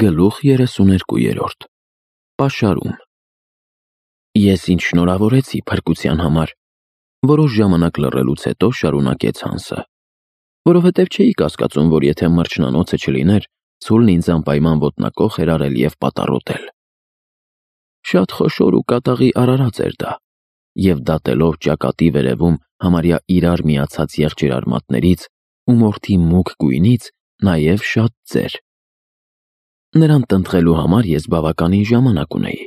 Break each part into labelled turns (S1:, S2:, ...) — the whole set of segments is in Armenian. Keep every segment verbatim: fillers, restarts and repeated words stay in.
S1: Գլուխ երեսուներկուերորդ Պաշարում Ես ինչ շնորհավորեցի փրկության համար, որոշ ժամանակ լռելուց հետո շարունակեց Հանսը, որովհետև չէի կասկածում, որ եթե մրջնանոցը չլիներ, ցուլն ինձ անպայման ոտնակոխ էր արել և պատառոտել։ Շատ խոշոր ու կատաղի արարած էր դա, և դատելով ճակատի վերևում համարյա իրար միացած եղջերարմատներից ու մորթի մուգ գույնից, նաև շատ ծեր։ Նրան տնտղելու համար ես բավականին ժամանակ ունեի։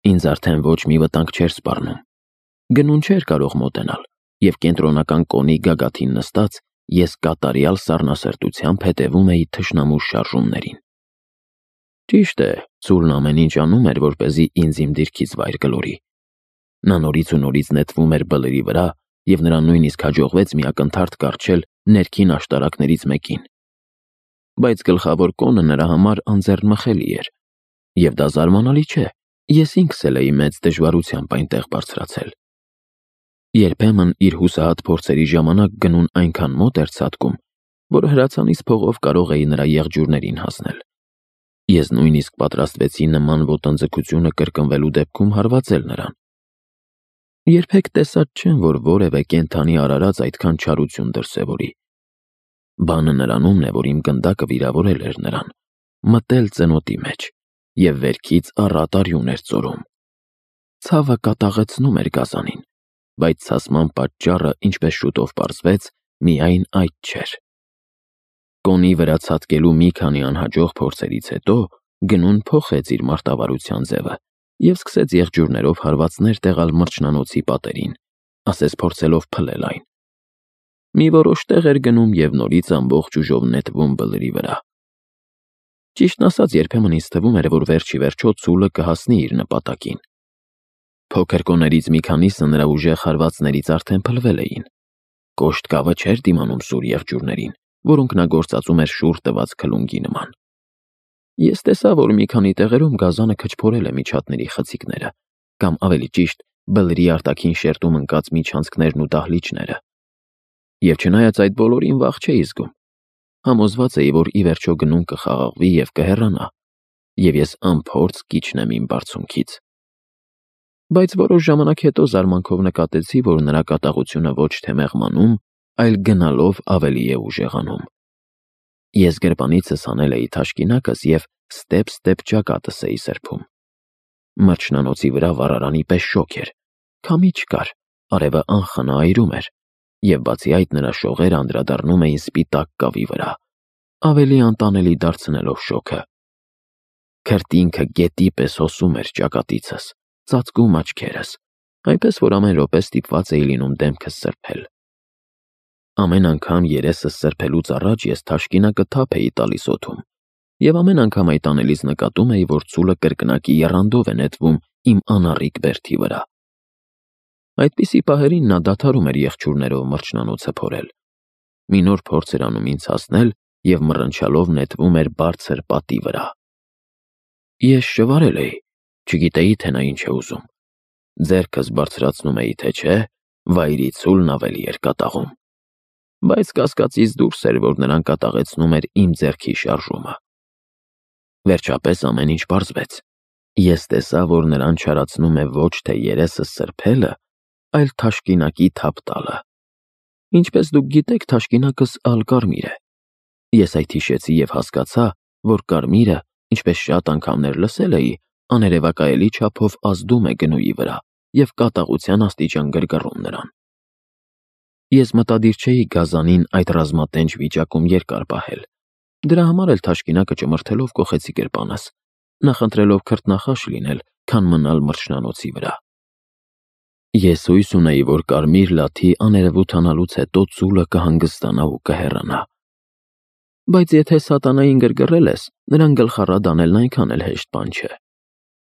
S1: Ինձ արդեն ոչ մի վտանգ չէր սպառնում։ Գնուն չէր կարող մոտենալ, և կենտրոնական կոնի գագաթին նստած ես կատարյալ սառնասրտությամբ հետևում էի թշնամու շարժումներին։ Ճիշտ է, ցուլն ամեն ինչ անում էր, որպեսզի ինձ իմ դիրքից վայր գլորի։ Նա նորից ու նորից նետվում էր բլրի վրա, և նրան նույնիսկ հաջողվեց մի ակնթարթ կառչել ներքին աշտարակներից մեկին։ Բայց գլխավոր կոնը նրա համար անձեռնմխելի էր, և դա զարմանալի չէ, ես ինքս էլ էի մեծ դժվարությամբ այնտեղ բարձրացել։ Երբեմն իր հուսահատ փորձերի ժամանակ գնուն այնքան մոտ էր ցատկում, որ հրացանից փողով կարող էի նրա եղջյուրներին հասնել։ Ես նույնիսկ պատրաստվեցի նման ոտնձգությունը կրկնվելու դեպքում հարվածել նրան։ Երբեք տեսած չեմ, որ որևէ կենդանի արարած այդքան չարություն դրսևորի։ Բանը նրանումն է, որ իմ գնդակը վիրավորել էր նրան, մտել ծնոտի մեջ և վերքից առատ արյուն էր ծորում։ Ցավը կատաղեցնում էր գազանին, բայց ցասման պատճառը, ինչպես շուտով պարզվեց, միայն այդ չէր։ Կոնի վրա ցատկելու մի քանի անհաջող փորձերից հետո գնուն փոխեց իր մարտավարության ձևը և սկսեց եղջյուրներով հարվածներ տեղալ մրջնանոցի պատերին, ասես փորձելով փլել այն։ Մի որոշ տեղ էր գնում և նորից ամբողջ ուժով նետվում բլրի վրա։ Ճիշտն ասած, երբեմն ինձ թվում էր, որ վերջ ի վերջո ցուլը կհասնի իր նպատակին։ Փոքր կոներից մի քանիսը նրա ուժեղ հարվածներից արդեն փլվել էին։ Կոշտ կավը չէր դիմանում սուր եղջյուրներին, որոնք նա գործածում էր շուռ տված քլունգի նման։ Ես տեսա, որ մի քանի տեղերում գազանը քչփորել է միջատների խցիկները, կամ ավելի ճիշտ, բլրի արտաքին շերտում ընկած միջանցքներն ու դահլիճները։ Եվ չնայած այդ բոլորին վախ չէի զգում, համոզված էի, որ ի վերջո գնուն կխաղաղվի և կհեռանա, և ես անփորձ կիջնեմ իմ բարձունքից։ Բայց որոշ ժամանակ հետո զարմանքով նկատեցի, որ նրա կատաղությունը ոչ թե մեղմանում, այլ գնալով ավելի է ուժեղանում։ Ես գրպանիցս հանել էի թաշկինակս և ստեպ-ստեպ ճակատս էի սրբում։ Մրջնանոցի վրա վառարանի պես շոգ էր, քամի չկար, արևը անխնա այրում էր, և բացի այդ նրա շողերն անդրադառնում էին սպիտակ կավի վրա, ավելի անտանելի դարձնելով շոգը։ Քրտինքը գետի պես հոսում էր ճակատիցս, ծածկում աչքերս, այնպես որ ամեն րոպե ստիպված էի լինում դեմքս սրբել։ Ամեն անգամ երեսս սրբելուց առաջ ես թաշկինակը թափ էի տալիս օդում, և ամեն անգամ այդ անելիս նկատում էի, որ ցուլը կրկնակի եռանդով է նետվում իմ անառիկ բերդի վրա։ Այդպիսի պահերին նա դադարում էր եղջյուրներով մրջնանոցը փորել։ Մի նոր փորձ էր անում ինձ հասնել և մռնչալով նետվում էր բարձր պատի վրա։ Ես շվարել էի, չգիտեի, թե նա ինչ է ուզում։ Ձեռքս բարձրացնում էի, թե չէ, վայրի ցուլն ավելի էր կատաղում։ Բայց կասկածից դուրս էր, որ նրան կատաղեցնում էր իմ ձեռքի շարժումը։ Վերջապես ամեն ինչ պարզվեց։ Ես տեսա, որ նրան չարացնում է ոչ թե երեսս սրբելը, այլ թաշկինակի թափ տալը։ Ինչպես դուք գիտեք, թաշկինակս ալկարմիր է։ Ես այդ հիշեցի և հասկացա, որ կարմիրը, ինչպես շատ անգամներ լսել էի, աներևակայելի չափով ազդում է գնուի վրա և կատաղության աստիճան գրգռում նրան։ Ես մտադիր չէի գազանին այդ ռազմատենչ վիճակում երկար պահել։ Դրա համար էլ թաշկինակը ճմրթելով կոխեցի գրպանս, նախընտրելով քրտնախաշ լինել, քան մնալ մրջնանոցի վրա։ Ես հույս ունեի, որ կարմիր լաթի աներևութանալուց հետո ցուլը կհանգստանա ու կհեռանա։ Բայց եթե սատանային գրգռել ես, նրան գլխառատ անելն այնքան էլ հեշտ բան չէ։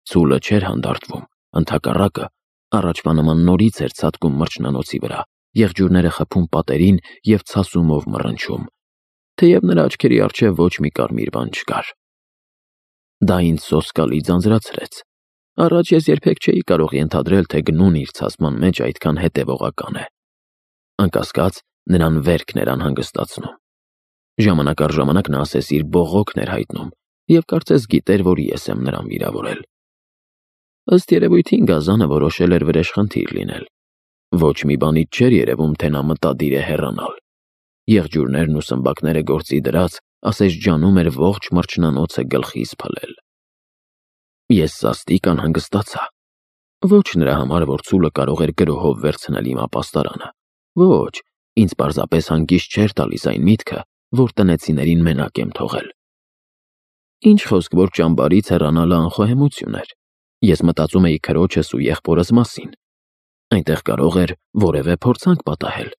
S1: Ցուլը չէր հանդարտվում, ընդհակառակը, առաջվա նման նորից էր ցատկում մրջնանոցի վրա, եղջյուրները խփում պատերին և ցասումով մռնչում, թեև նրա աչքերի առջև ոչ մի կարմիր բան չկար։ Դա ինձ սոսկալի ձանձրացրեց։ Առաջ ես երբեք չէի կարող ենթադրել, թե գնուն իր ցասման մեջ այդքան հետևողական է։ Անկասկած, նրան վերքն էր անհանգստացնում։ Ժամանակ առ ժամանակ նա ասես իր բողոքն էր հայտնում, և կարծես գիտեր, որ ես եմ նրան վիրավորել։ Ըստ երևույթին գազանը որոշել էր վրեժխնդիր լինել։ Ոչ մի բանից չէր երևում, թե նա մտադիր է հեռանալ։ Եղջյուրներն ու սմբակները գործի դրած, ասես ջանում էր ողջ մրջնանոցը գլխիս փլել։ Ես սաստիկ անհանգստացա։ Ոչ նրա համար, որ ցուլը կարող էր գրոհով վերցնել իմ ապաստարանը։ Ոչ, ինձ պարզապես հանգիստ չէր տալիս այն միտքը, որ տնեցիներին մենակ եմ թողել։ Ինչ խոսք, որ ճամբարից հեռանալը անխոհեմություն էր։ Ես մտածում էի քրոջս ու եղբորս մասին։ Այնտեղ կարող էր որևէ փորձանք պատահել։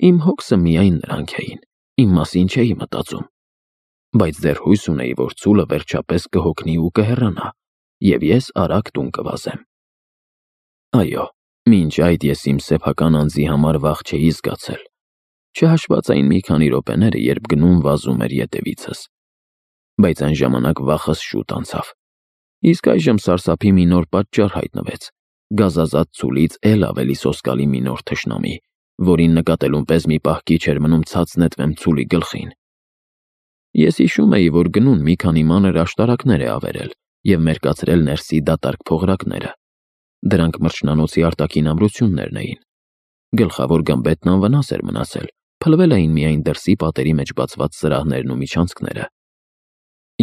S1: Իմ հոգսը միայն նրանք էին, իմ մասին չէի մտածում։ Բայց դեռ հույս ունեի, որ ցուլը վերջապես կհոգնի ու կհեռանա, և ես արագ տուն կվազեմ։ Այո, մինչ այդ ես իմ սեփական անձի համար վախ չէի զգացել, չհաշված այն մի քանի րոպեները, երբ գնում վազում էր ետևիցս։ Բայց այն ժամանակ վախս շուտ անցավ։ Իսկ այժմ սարսափի մի նոր պատճառ հայտնվեց՝ գազազատ ցուլից էլ ավելի սոսկալի մի նոր թշնամի, որին նկատելուն պես մի պահ քիչ էր մնում ցած նետվեմ ցուլի գլխին։ Ես հիշում էի, որ գնուն մի քանի մանր աշտարակներ է ավերել և մերկացրել ներսի դատարկ փողրակները։ Դրանք մրջնանոցի արտաքին ամրություններն էին։ Գլխավոր գմբեթն անվնաս էր մնացել, փլվել էին միայն դրսի պատերի մեջ բացված սրահներն ու միջանցքները։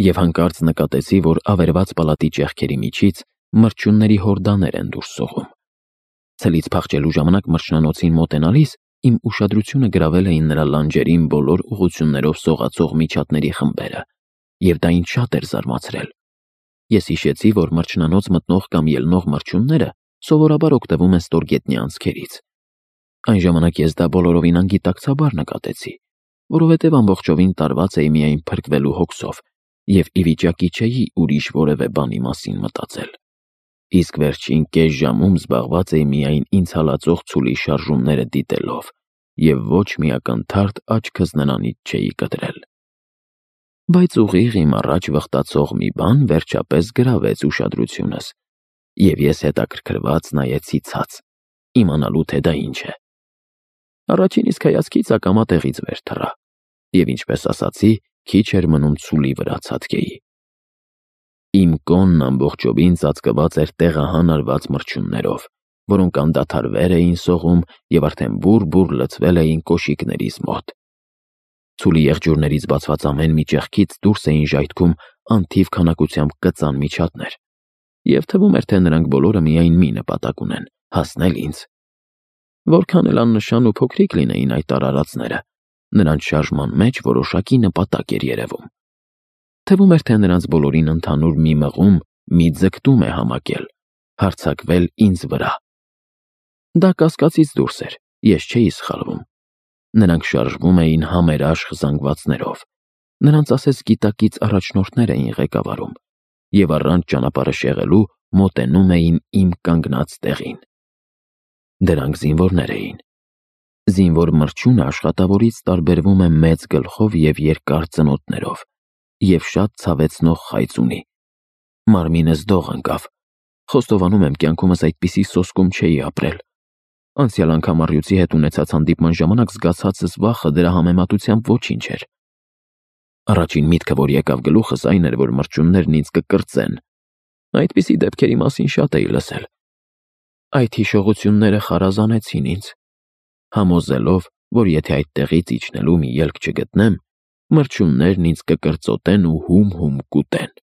S1: Եվ հանկարծ նկատեցի, որ ավերված պալատի ճեղքերի միջից մրջյունների հորդաներ են դուրս սողում։ Ցելից փախչելու ժամանակ մրջնանոցին մոտենալիս իմ ուշադրությունը գրավել էին նրա լանջերին բոլոր ուղղություններով սողացող միջատների խմբերը, և դա ինձ շատ էր զարմացրել։ Ես հիշեցի, որ մրջնանոց մտնող կամ ելնող մրջյունները սովորաբար օգտվում են ստորգետնյա անցքերից։ Այն ժամանակ ես դա բոլորովին անգիտակցաբար նկատեցի, որովհետև ամբողջովին տարված էի միայն փրկվելու հոգսով և ի վիճակի չէի ուրիշ որևէ բանի մասին մտածել։ Իսկ վերջին կես ժամում զբաղված էի միայն ինձ հալածող ցուլի շարժումները դիտելով և ոչ մի ակնթարթ աչքս նրանից չէի կտրել։ Բայց ուղիղ իմ առաջ վխտացող մի բան վերջապես գրավեց ուշադրությունս, և ես հետաքրքրված նայեցի ցած, իմանալու թե դա ինչ է։ Առաջին իսկ հայացքից ակամա տեղից վեր թռա, և ինչպես ասացի, քիչ էր մնում ցուլի վրա ցատկեի։ Իմ կոնն ամբողջովին ծածկված էր տեղահան արված մրջյուններով, որոնք անդադար վեր էին սողում և արդեն բուռ-բուռ լցվել էին կոշիկներիս մոտ։ Ցուլի եղջյուրներից բացված ամեն մի ճեղքից դուրս էին ժայթքում անթիվ քանակությամբ կծան միջատներ, և թվում էր, թե նրանք բոլորը միայն մի նպատակ ունեն՝ հասնել ինձ։ Որքան էլ աննշան ու փոքրիկ լինեին այդ արարածները, նրանց շարժման մեջ որոշակի նպատակ էր երևում։ Թվում էր, թե նրանց բոլորին ընդհանուր մի մղում, մի ձգտում է համակել՝ հարձակվել ինձ վրա։ Դա կասկածից դուրս էր, ես չէի սխալվում։ Նրանք շարժվում էին համերաշխ զանգվածներով, նրանց ասես գիտակից առաջնորդներ էին ղեկավարում և առանց ճանապարհը շեղելու մոտենում էին իմ կանգնած տեղին։ Դրանք զինվորներ էին։ Զինվոր մրջյունը աշխատավորից տարբերվում է մեծ գլխով և երկար ծնոտներով և շատ ցավեցնող խայծ ունի։ Մարմինս դող ընկավ։ Խոստովանում եմ, կյանքումս այդպիսի սոսկում չէի ապրել։ Անցյալ անգամ առյուծի հետ ունեցած հանդիպման ժամանակ զգացածս վախը դրա համեմատությամբ ոչինչ էր։ Առաջին միտքը, որ եկավ գլուխս, այն էր, որ մրջյուններն ինձ կկրծեն։ Այդպիսի դեպքերի մասին շատ էի լսել։ Այդ հիշողությունները խարազանեցին ինձ, համոզելով, որ եթե այդտեղից իջնելու մի ելք չգտնեմ, մրջյուններն ինձ կկրծոտեն ու հում-հում կուտեն։